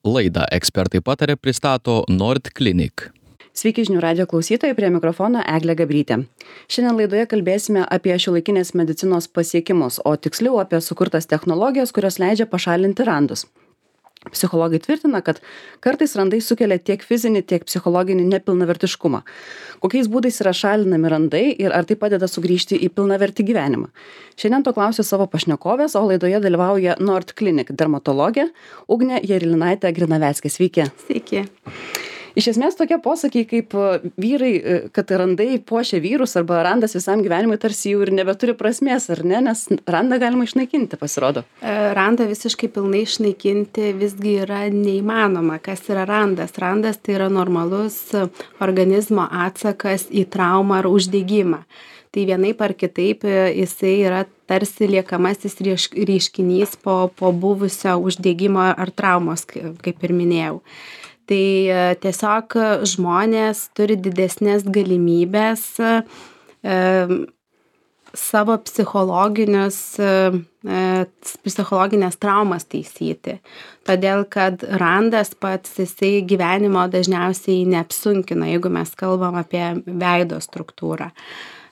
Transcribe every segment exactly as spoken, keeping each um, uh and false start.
Laidą Ekspertai pataria pristato Nordklinik. Sveiki žinių radijo klausytojai, prie mikrofono Eglė Gabrytė. Šiandien laidoje kalbėsime apie šiuolaikinės medicinos pasiekimus, o tiksliau apie sukurtas technologijas, kurios leidžia pašalinti randus. Psichologai tvirtina, kad kartais randai sukelia tiek fizinį, tiek psichologinį nepilnavertiškumą. Kokiais būdais yra šalinami randai ir ar tai padeda sugrįžti į pilnavertį gyvenimą? Šiandien to klausiu savo pašnekovės, o laidoje dalyvauja Nordklinik dermatologė Ugnė Jerilinaitė Grinaveckė. Sveiki. Sveiki. Iš esmės tokie posakiai kaip vyrai, kad randai puošia vyrus arba randas visam gyvenimui tarsi jau ir nebeturi prasmės, ar ne? Nes randą galima išnaikinti, pasirodo. Randą visiškai pilnai išnaikinti visgi yra neįmanoma. Kas yra randas? Randas tai yra normalus organizmo atsakas į traumą ar uždegimą. Tai vienaip ar kitaip jisai yra tarsi liekamasis reiškinys po, po buvusio uždegimo ar traumos, kaip ir minėjau. Tai tiesiog žmonės turi didesnės galimybės e, savo psichologinius, e, psichologinės traumas taisyti. Todėl, kad randas pats jisai gyvenimo dažniausiai neapsunkina, jeigu mes kalbam apie veido struktūrą.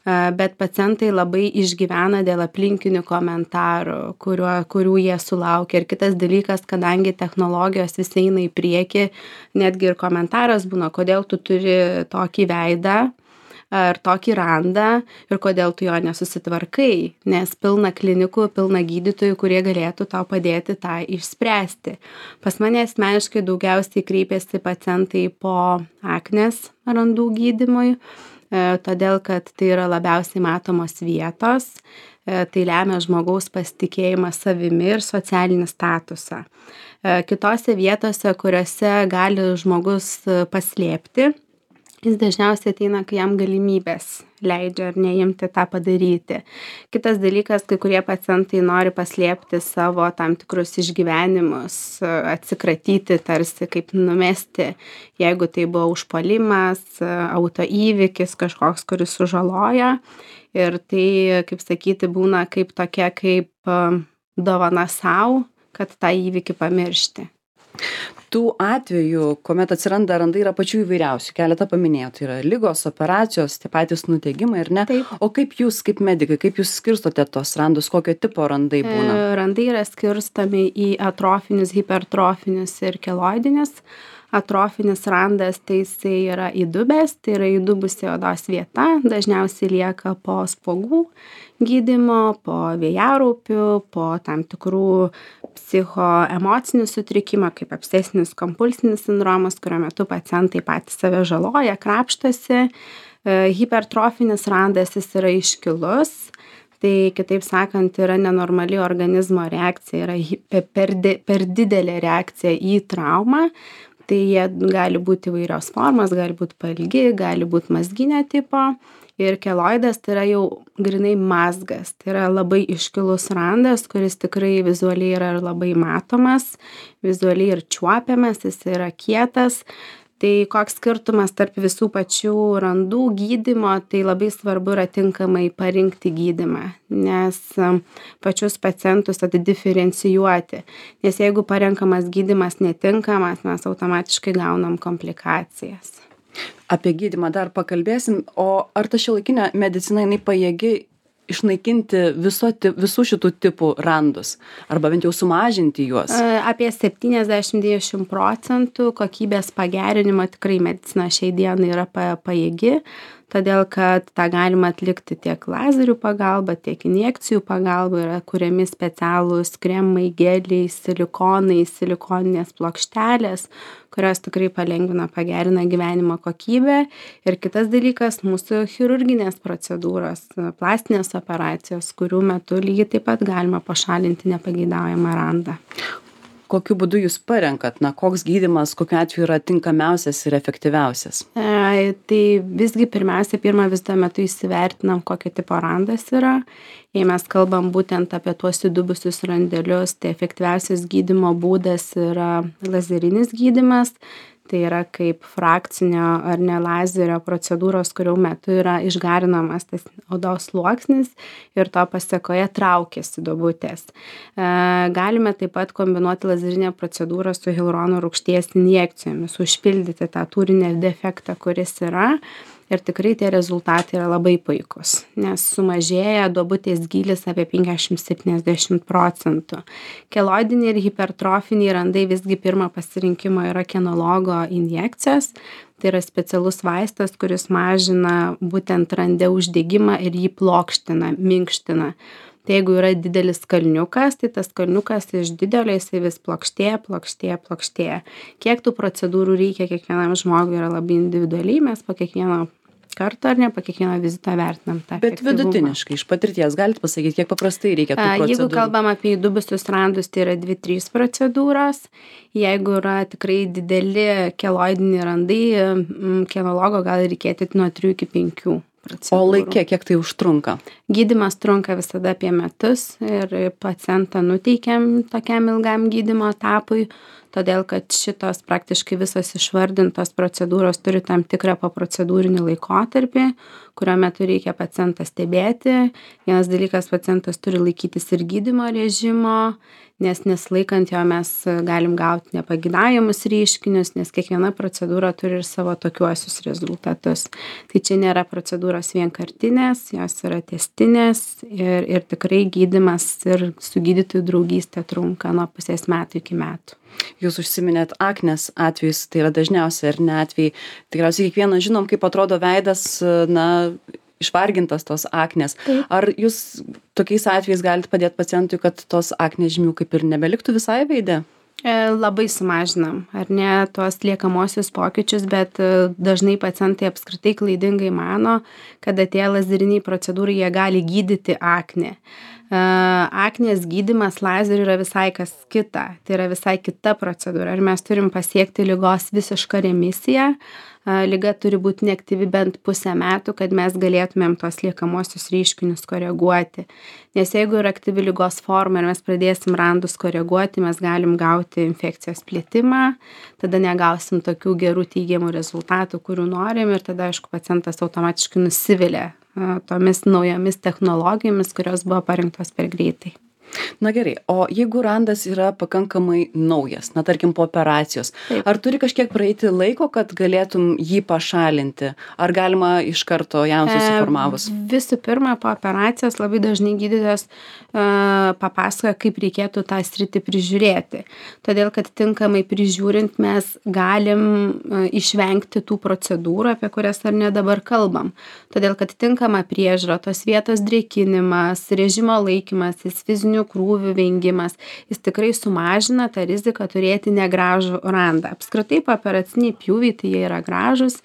Bet pacientai labai išgyvena dėl aplinkinių komentarų, kuriuo, kurių jie sulaukia. Ir kitas dalykas, kadangi technologijos vis eina į priekį, netgi ir komentaras būna, kodėl tu turi tokį veidą ar tokį randą ir kodėl tu jo nesusitvarkai, nes pilna klinikų, pilna gydytojų, kurie galėtų tau padėti tą išspręsti. Pas mane asmeniškai daugiausiai kreipiasi pacientai po aknės randų gydymui, todėl, kad tai yra labiausiai matomos vietos, tai lemia žmogaus pasitikėjimą savimi ir socialinį statusą. Kitose vietose, kuriuose gali žmogus paslėpti, jis dažniausiai ateina, kai jam galimybės leidžia ar neimti tą padaryti. Kitas dalykas, kai kurie pacientai nori paslėpti savo tam tikrus išgyvenimus, atsikratyti tarsi kaip numesti, jeigu tai buvo užpuolimas, autoįvykis kažkoks, kuris sužaloja. Ir tai, kaip sakyti, būna kaip tokia kaip dovana sau, kad tą įvykį pamiršti. Tų atvejų, kuomet atsiranda randai, yra pačių įvairiausių. Keletą paminėjau, tai yra ligos, operacijos, tie patys nudegimai, ar ne? Taip. O kaip jūs, kaip medikai, kaip jūs skirstote tos randus, kokio tipo randai būna? Randai yra skirstomi į atrofinius, hipertrofinius ir keloidinius. Atrofinis randas tai jisai yra įdubęs, tai yra įdubusi odos vieta, dažniausiai lieka po spuogų gydymo, po vėjaraupių, po tam tikrų psichoemocinių sutrikimų, kaip obsesinis kompulsinis sindromas, kurio metu pacientai patys save žaloja, krapštasi. Hipertrofinis randas jis yra iškilus. Tai kitaip sakant, yra nenormali organizmo reakcija, yra per, per didelė reakcija į traumą. Tai jie gali būti įvairios formos, gali būti pailgi, gali būti mazginio tipo. Ir keloidas tai yra jau grinai mazgas. Tai yra labai iškilus randas, kuris tikrai vizualiai yra labai matomas, vizualiai ir čiuopiamas, jis yra kietas. Tai koks skirtumas tarp visų pačių randų gydymo, tai labai svarbu yra tinkamai parinkti gydymą, nes pačius pacientus atdiferencijuoti. Nes jeigu parenkamas gydymas netinkamas, mes automatiškai gaunam komplikacijas. Apie gydymą dar pakalbėsim, o ar ta šiuolaikinė medicina jinai pajėgi išnaikinti viso, visų šitų tipų randus, arba bent jau sumažinti juos? Apie septyniasdešimt iki devyniasdešimt procentų kokybės pagerinimo tikrai medicina šiai dienai yra pajėgi, todėl kad tą galima atlikti tiek lazerių pagalba, tiek injekcijų pagalba, yra kuriami specialūs kremai, geliai, silikonai, silikoninės plokštelės, kurios tikrai palengvina, pagerina gyvenimo kokybę. Ir kitas dalykas, mūsų chirurginės procedūros, plastinės operacijos, kurių metu lygiai taip pat galima pašalinti nepageidaujamą randą. Kokiu būdu jūs parenkat, na, koks gydymas, kokiu atveju yra tinkamiausias ir efektyviausias? E, tai visgi pirmiausia, pirmą vizito metu įsivertinam, kokio tipo randas yra. Jei mes kalbam būtent apie tuos įdubusius randelius, tai efektyviausias gydymo būdas yra lazerinis gydymas. Tai yra kaip frakcinio ar ne lazerio procedūros, kurių metu yra išgarinamas tas odos sluoksnis ir to pasekoje traukiasi duobutės. E, galime taip pat kombinuoti lazerinę procedūrą su hialurono rūgšties injekcijomis, užpildyti tą turinį defektą, kuris yra. Ir tikrai tie rezultatai yra labai puikus, nes sumažėja duobutės gylis apie penkiasdešimt septyniasdešimt procentų. Keloidiniai ir hipertrofiniai randai visgi pirmo pasirinkimo yra kinologo injekcijos. Tai yra specialus vaistas, kuris mažina būtent rande uždegimą ir jį plokština, minkština. Tai jeigu yra didelis kalniukas, tai tas kalniukas iš didelio jisai vis plokštėja, plokštėja, plokštėja. Kiek tų procedūrų reikia kiekvienam žmogui yra labai individualiai, mes po kiekvieno karto ar ne, po kiekvieno vizito vertinam tą Bet efektyvumą. vidutiniškai, iš patirties, galite pasakyti, kiek paprastai reikia tų A, procedūrų? Jeigu kalbam apie įdubusius randus, tai yra dvi trys procedūros. Jeigu yra tikrai dideli keloidiniai randai, mm, kinologo gali reikėti nuo trijų iki penkių procedūrų. O laikė, kiek tai užtrunka? Gydymas trunka visada apie metus ir pacientą nuteikiam tokiam ilgam gydymo etapui, todėl kad šitos praktiškai visos išvardintos procedūros turi tam tikrą poprocedūrinį laikotarpį, kurio metu reikia pacientą stebėti. Vienas dalykas, pacientas turi laikytis ir gydymo režimo, nes nesilaikant jo mes galim gauti nepageidaujamos reiškinius, nes kiekviena procedūra turi ir savo tokiuosius rezultatus. Tai čia nėra procedūros vienkartinės, jos yra testinės ir, ir tikrai gydymas ir su gydytojų draugystė trunka nuo pusės metų iki metų. Jūs užsiminėt aknės atvejus, tai yra dažniausiai ar ne atvejai. Tikriausiai kiekvieną žinom, kaip atrodo veidas, na, išvargintas tos aknės. Taip. Ar jūs tokiais atvejais galite padėti pacientui, kad tos aknės žymių kaip ir nebeliktų visai veide? E, Labai sumažinam, ar ne, tuos liekamosius pokyčius, bet e, dažnai pacientai apskritai klaidingai mano, kad atėję lazeriniai procedūrai jie gali gydyti aknę. E, Aknės gydymas lazeriu yra visai kas kita, tai yra visai kita procedūra. Ir mes turim pasiekti ligos visišką remisiją. E, Liga turi būti neaktyvi bent pusę metų, kad mes galėtumėm tos liekamosius reiškinius koreguoti. Nes jeigu yra aktyvi ligos forma ir mes pradėsim randus koreguoti, mes galim gauti infekcijos plitimą, tada negausim tokių gerų teigiamų rezultatų, kurių norim ir tada, aišku, pacientas automatiškai nusivilia e, tomis naujomis technologijomis, kurios buvo parinktos per greitai. Na gerai, o jeigu randas yra pakankamai naujas, na tarkim po operacijos, Taip. ar turi kažkiek praeiti laiko, kad galėtum jį pašalinti? Ar galima iš karto jam susiformavus? E, Visų pirma, po operacijos labai dažnai gydytojas e, papasakoja, kaip reikėtų tą sritį prižiūrėti. Todėl, kad tinkamai prižiūrint mes galim e, išvengti tų procedūrų, apie kurias ar ne dabar kalbam. Todėl, kad tinkama priežiūra, tos vietos drėkinimas, režimo laikymasis, fizinių krūvių vengimas, jis tikrai sumažina tą riziką turėti negražų randą. Apskritai, operaciniai pjūviai, tai jie yra gražus,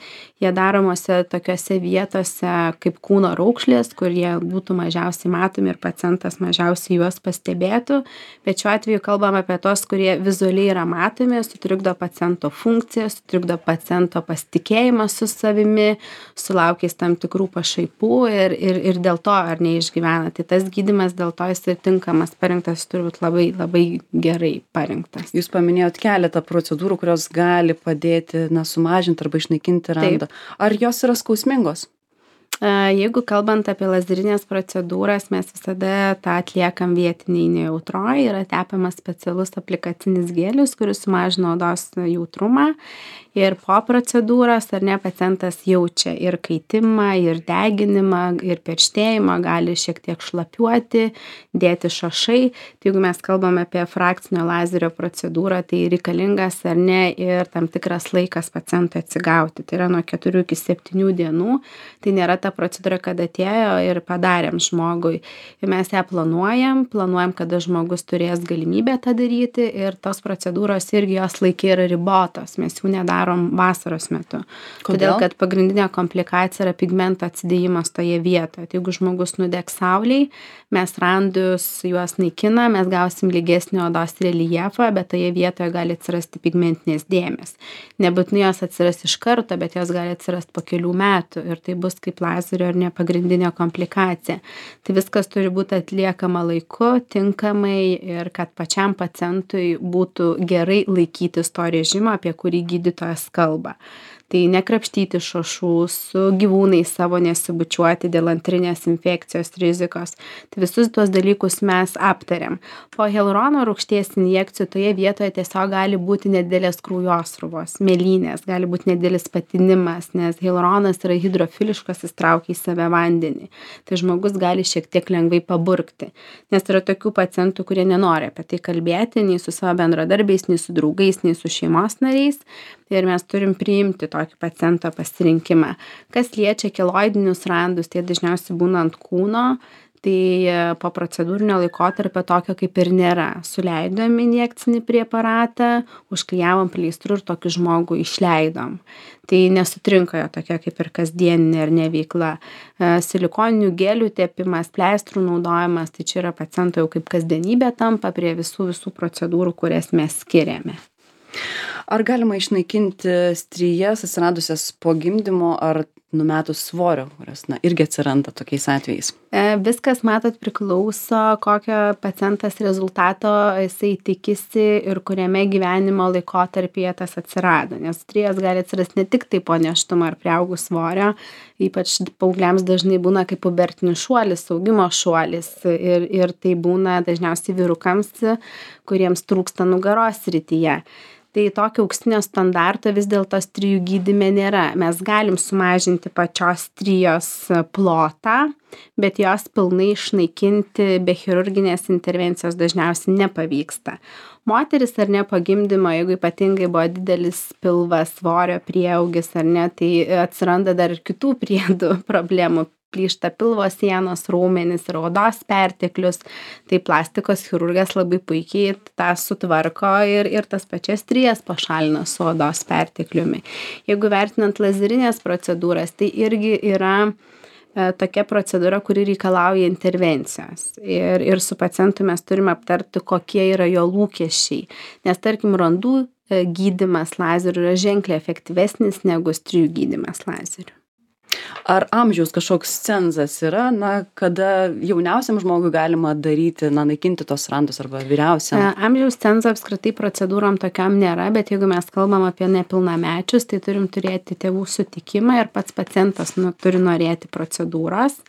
jie daromose tokiose vietose kaip kūno raukšlės, kur jie būtų mažiausiai matomi ir pacientas mažiausiai juos pastebėtų. Bet šiuo atveju kalbam apie tos, kurie vizualiai yra matomi, sutrikdo paciento funkciją, sutrikdo paciento pasitikėjimą su savimi, sulaukęs tam tikrų pašaipų ir, ir, ir dėl to ar neišgyvena. Tai tas gydymas dėl to jis ir tinkamas parinktas, turi būti labai, labai gerai parinktas. Jūs paminėjot keletą procedūrų, kurios gali padėti, na, sumažinti arba išnaikinti randą. Ar jos yra skausmingos? Jeigu kalbant apie lazerinės procedūras, mes visada tą atliekam vietiniai nejautroj, yra tepamas specialus aplikacinis gėlis, kuris sumažina odos jautrumą. Ir po procedūros, ar ne, pacientas jaučia ir kaitimą, ir deginimą, ir perštėjimą, gali šiek tiek šlapiuoti, dėti šašai. Tai jeigu mes kalbame apie frakcinio lazerio procedūrą, tai reikalingas, ar ne, ir tam tikras laikas pacientui atsigauti. Tai yra nuo keturių iki septynių dienų. Tai nėra ta procedūra, kad atėjo ir padarėm žmogui. Ir mes ją planuojam, planuojam, kada žmogus turės galimybę tą daryti ir tos procedūros irgi jos laikai yra ribotos. Mes jų nedarom vasaros metu. Kodėl? Todėl, kad pagrindinė komplikacija yra pigmento atsidėjimas toje vietoje. Tai jeigu žmogus nudegs saulėj, mes randus juos naikina, mes gausim lygesnį odos reljefą, bet toje vietoje gali atsirasti pigmentinės dėmės. Nebūtinai jos atsiras iš karto, bet jos gali atsirasti po kelių metų ir tai bus kaip lazerio ar ne pagrindinė komplikacija. Tai viskas turi būti atliekama laiku, tinkamai ir kad pačiam pacientui būtų gerai laikytis to režimo, apie kurį gydytojas kalba. Tai nekrapštyti šašų, su gyvūnais savo nesibučiuoti dėl antrinės infekcijos rizikos. Tai visus tuos dalykus mes aptariam. Po hialurono rūgšties injekcijų toje vietoje tiesiog gali būti nedidelės kraujosruvos, mėlynės, gali būti nedidelis patinimas, nes hialuronas yra hidrofiliškas, jis traukia į save vandenį. Tai žmogus gali šiek tiek lengvai paburkti. Nes yra tokių pacientų, kurie nenori apie tai kalbėti, nei su savo bendradarbiais, nei su draugais, nei su šeimos nariais. Ir mes turim priimti tokį paciento pasirinkimą. Kas liečia keloidinius randus, tai dažniausiai būna ant kūno, tai po procedūrinio laikotarpio tokio kaip ir nėra. Suleidom injekcinį preparatą, užklijavom pleistru ir tokį žmogų išleidom. Tai nesutrinka jo tokia kaip ir kasdieninė ar neveikla. Silikoninių gelių tepimas, pleistrų naudojimas, tai čia yra paciento jau kaip kasdienybė tampa prie visų visų procedūrų, kurias mes skiriame. Ar galima išnaikinti strijas atsiradusias po gimdymo ar numetus svorio, kurios na, irgi atsiranda tokiais atvejais? E, viskas, matot, priklauso, kokio pacientas rezultato jisai tikisi ir kuriame gyvenimo laikotarpyje tas atsirado. Nes strijas gali atsirasti ne tik tai po nėštumo ar priaugus svorio, ypač paaugliams dažnai būna kaip pubertinis šuolis, augimo šuolis ir, ir tai būna dažniausiai vyrukams, kuriems trūksta nugaros srityje. Tai tokio auksinio standarto vis dėlto strijų gydyme nėra. Mes galim sumažinti pačios strijos plotą, bet jos pilnai išnaikinti be chirurginės intervencijos dažniausiai nepavyksta. Moteris ar ne po gimdymo, jeigu ypatingai buvo didelis pilvas, svorio prieaugis ar ne, tai atsiranda dar ir kitų priedų problemų. Plyšta pilvo sienos, raumenys ir odos perteklius, tai plastikos chirurgas labai puikiai tą sutvarko ir, ir tas pačias strijas pašalina su odos pertekliumi. Jeigu vertinant lazerinės procedūras, tai irgi yra e, tokia procedūra, kuri reikalauja intervencijos. Ir, ir su pacientu mes turime aptarti, kokie yra jo lūkesčiai. Nes tarkim, randų e, gydymas lazeriu yra ženkliai efektyvesnis negu strijų gydymas lazeriu. Ar amžiaus kažkoks cenzas yra, na, kada jauniausiam žmogui galima daryti, na, naikinti tos randus arba vyriausiam? Amžiaus cenzo apskritai procedūrom tokiam nėra, bet jeigu mes kalbam apie nepilnamečius, tai turim turėti tėvų sutikimą ir pats pacientas nu, turi norėti procedūros.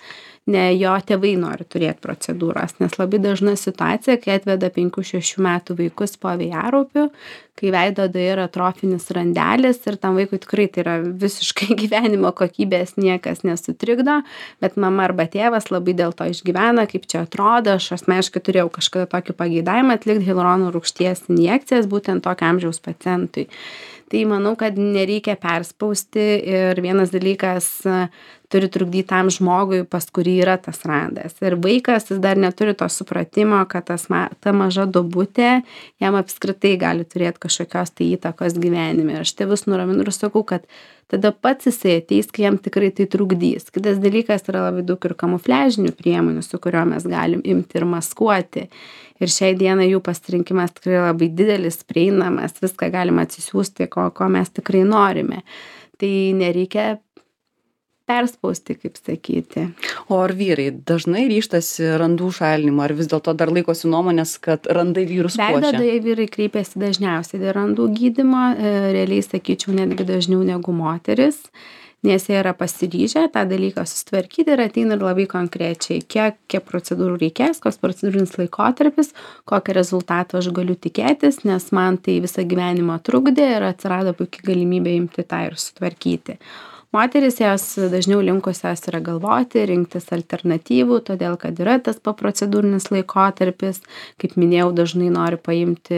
Ne jo tėvai nori turėti procedūros, nes labai dažna situacija, kai atveda penkių šešių metų vaikus po vėjaraupių, kai veido odoje yra atrofinis randelis ir tam vaikui tikrai tai yra visiškai gyvenimo kokybės niekas nesutrikdo, bet mama arba tėvas labai dėl to išgyvena, kaip čia atrodo. Aš asmeniškai turėjau kažkada tokį pageidavimą atlikti hialurono rūgšties injekcijas būtent tokio amžiaus pacientui. Tai manau, kad nereikia perspausti ir vienas dalykas turi trukdyti tam žmogui, pas kurį yra tas randas. Ir vaikas jis dar neturi to supratimo, kad tas, ta maža duobutė jam apskritai gali turėti kažkokios tai įtakos gyvenime. Ir aš tėvus nuraminu ir sakau, kad tada pats jisai ateis, kai jam tikrai tai trukdys. Kitas dalykas yra labai daug ir kamufliažinių priemonių, su kurio mes galim imti ir maskuoti. Ir šiai dienai jų pasirinkimas tikrai labai didelis, prieinamas, viską galima atsisiųsti, ko, ko mes tikrai norime. Tai nereikia perspausti, kaip sakyti. O ar vyrai dažnai ryžtasi randų šalinimo, ar vis dėlto dar laikosi nuomonės, kad randai vyrus puošia? Veido odoje vyrai kreipiasi dažniausiai dėl randų gydymo, realiai sakyčiau netgi dažniau negu moteris, nes jie yra pasiryžę tą dalyką susitvarkyti ir ateina ir labai konkrečiai, kiek, kiek procedūrų reikės, koks procedūrinis laikotarpis, kokį rezultatą aš galiu tikėtis, nes man tai visą gyvenimą trukdė ir atsirado puikiai galimybė imti tą ir sutvarkyti. Moteris jos dažniau linkusios yra galvoti, rinktis alternatyvų, todėl kad yra tas poprocedūrinis laikotarpis, kaip minėjau, dažnai nori paimti,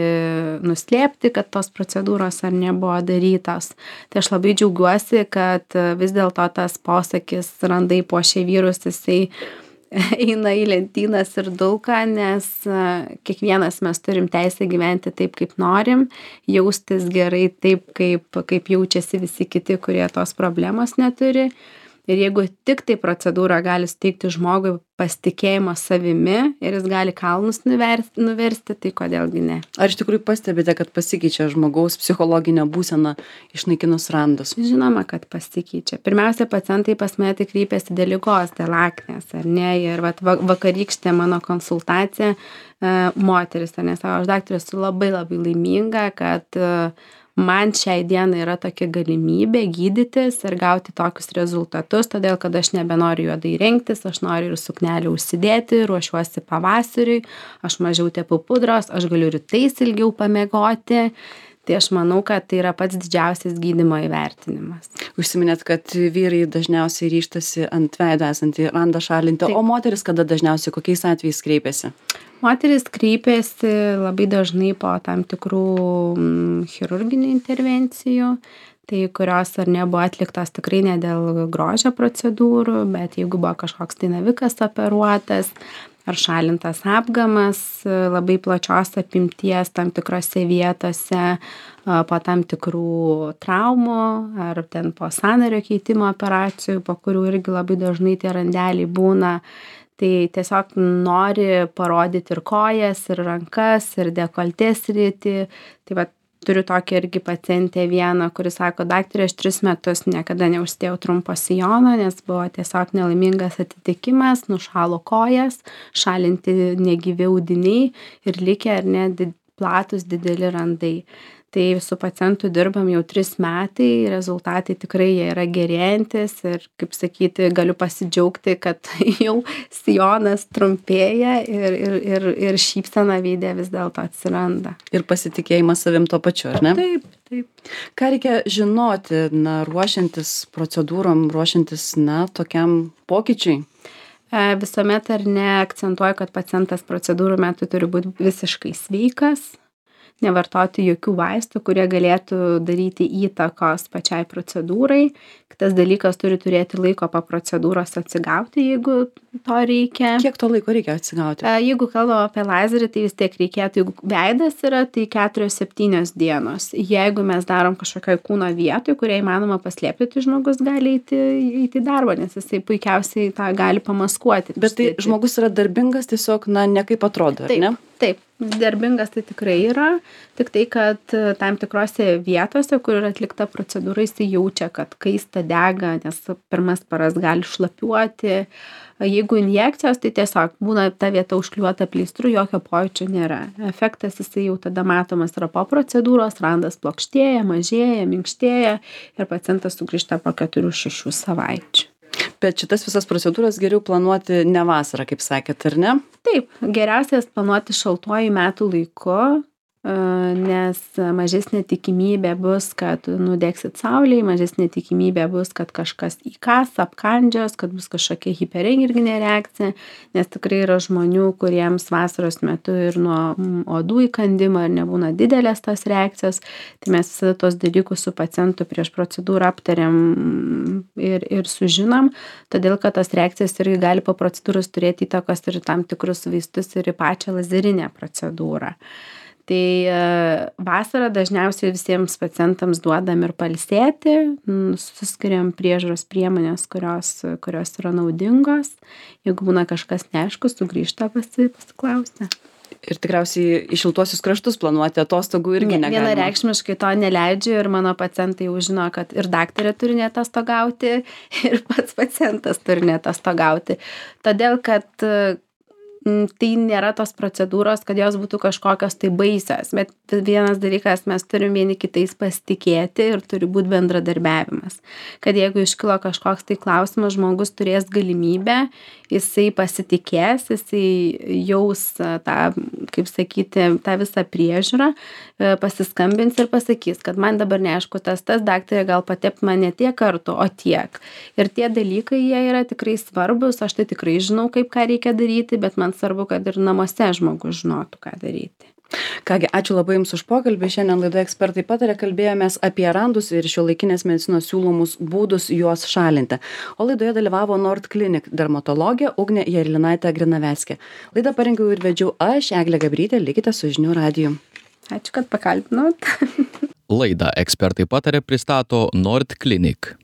nuslėpti, kad tos procedūros ar nebuvo darytos. Tai aš labai džiaugiuosi, kad vis dėlto tas posakis randai puošia vyrus, jisai eina į lentynas ir dulka, nes kiekvienas mes turim teisę gyventi taip, kaip norim, jaustis gerai taip, kaip, kaip jaučiasi visi kiti, kurie tos problemos neturi. Ir jeigu tik tai procedūra gali suteikti žmogui pasitikėjimo savimi ir jis gali kalnus nuversti, nuversti, tai kodėlgi ne. Ar iš tikrųjų pastebite, kad pasikeičia žmogaus psichologinė būsena išnaikinus randus? Žinoma, kad pasikeičia. Pirmiausia, pacientai pas mane tai kreipiasi dėl ligos, dėl aknės, ar ne? Ir vat, vakarykštė mano konsultacija, e, moteris, ar ne, savo, aš daktarė esu labai labai laiminga, kad e, man šiai dienai yra tokia galimybė gydytis ir gauti tokius rezultatus, todėl kad aš nebenoriu juodai rengtis, aš noriu ir suknelį užsidėti, ruošiuosi pavasariui, aš mažiau tepu pudros, aš galiu rytais ilgiau pamiegoti. Tai aš manau, kad tai yra pats didžiausias gydymo įvertinimas. Užsiminėt, kad vyrai dažniausiai ryžtasi ant veido esantį randą šalinti, Taip. o moteris kada dažniausiai kokiais atvejais kreipiasi? Moteris kreipiasi labai dažnai po tam tikrų mm, chirurginių intervencijų, tai kurios ar nebuvo atliktos tikrai ne dėl grožio procedūrų, bet jeigu buvo kažkoks tai navikas operuotas, ar šalintas apgamas labai plačios apimties tam tikrose vietose, po tam tikrų traumų, ar ten po sąnario keitimo operacijų, po kurių irgi labai dažnai tie randeliai būna. Tai tiesiog nori parodyti ir kojas, ir rankas, ir dekoltės sritį. Tai va, turiu tokią irgi pacientę vieną, kuris sako, daktarė, aš tris metus niekada neužsidėjau trumpo sijono, nes buvo tiesiog nelaimingas atitikimas, nušalo kojas, šalinti negyvi audiniai ir likę ar ne did, platus dideli randai. Tai su pacientu dirbam jau tris metai, rezultatai tikrai jie yra gerėjantis ir, kaip sakyti, galiu pasidžiaugti, kad jau sijonas trumpėja ir, ir, ir, ir šypsena veide vis dėlto atsiranda. Ir pasitikėjimas savim to pačiu, ar ne? Taip, taip. Ką reikia žinoti, na, ruošiantis procedūrom, ruošiantis, na, tokiam pokyčiui? Visuomet ar ne akcentuoju, kad pacientas procedūrų metu turi būti visiškai sveikas, nevartoti jokių vaistų, kurie galėtų daryti įtakos pačiai procedūrai. Kitas dalykas, turi turėti laiko po procedūros atsigauti, jeigu to reikia. Kiek to laiko reikia atsigauti? Jeigu kalbam apie lazerį, tai vis tiek reikėtų, jeigu veidas yra, tai keturios septynios dienos. Jeigu mes darom kažkokioj kūno vietoj, kurią įmanoma paslėpti, tai žmogus gali eiti, eiti į darbą, nes jisai puikiausiai tą gali pamaskuoti. Bet tai žmogus yra darbingas tiesiog, na, ne kaip atrodo, ar ne? Taip, darbingas tai tikrai yra, tik tai, kad tam tikrose vietose, kur yra atlikta procedūra, jis jaučia, kad kaista dega, nes pirmas paras gali šlapiuoti. Jeigu injekcijos, tai tiesiog būna ta vieta užkliuota pleistru, jokio pojūčio nėra. Efektas jisai jau tada matomas yra po procedūros, randas plokštėja, mažėja, minkštėja ir pacientas sugrįžta po keturių šešių savaičių. Bet šitas visas procedūras geriau planuoti ne vasarą, kaip sakėt, ar ne? Taip, geriausias planuoti šaltuoju metų laiku, nes mažesnė tikimybė bus, kad nudegsit saulėje, mažesnė tikimybė bus, kad kažkas įkas, apkandžios, kad bus kažkokia hiperenerginė reakcija, nes tikrai yra žmonių, kuriems vasaros metu ir nuo odų įkandimo ir nebūna didelės tos reakcijos, tai mes visada tos dalykus su pacientu prieš procedūrą aptariam ir, ir sužinom, todėl kad tos reakcijos irgi gali po procedūros turėti įtakos ir tam tikrus vaistus ir į pačią lazerinę procedūrą. Tai vasarą dažniausiai visiems pacientams duodam ir pailsėti, suskiriam priežiūros priemonės, kurios, kurios yra naudingos. Jeigu būna kažkas neaišku, sugrįžta pasi, pasiklausti. Ir tikriausiai į šiltuosius kraštus planuoti atostogų irgi negalima. Vienareikšmiškai to neleidžiu ir mano pacientai jau žino, kad ir daktarė turi neatostogauti, ir pats pacientas turi neatostogauti. Todėl, kad tai nėra tos procedūros, kad jos būtų kažkokios tai baisios, bet vienas dalykas, mes turim vieni kitais pasitikėti ir turi būti bendradarbiavimas. Kad jeigu iškilo kažkoks tai klausimas, žmogus turės galimybę, jisai pasitikės, jisai jaus tą, kaip sakyti, tą visą priežiūrą, pasiskambins ir pasakys, kad man dabar neaišku, tas, tas daktarė gal patep mane tiek kartų, o tiek. Ir tie dalykai, jie yra tikrai svarbus, aš tai tikrai žinau, kaip ką reikia daryti, bet man svarbu, kad ir namuose žmogus žinotų, ką daryti. Kągi, ačiū labai Jums už pokalbį. Šiandien laidoje ekspertai patarė, kalbėjomės apie randus ir šiuolaikinės medicinos siūlomus būdus juos šalinti. O laidoje dalyvavo Nord Clinic dermatologė Ugnė Jarilinaitė Grinaveckė. Laidą parengiau ir vedžiau aš, Eglė Gabrytė, likite su žinių radiju. Ačiū, kad pakalbinot. Laidą ekspertai patarė pristato Nord Clinic.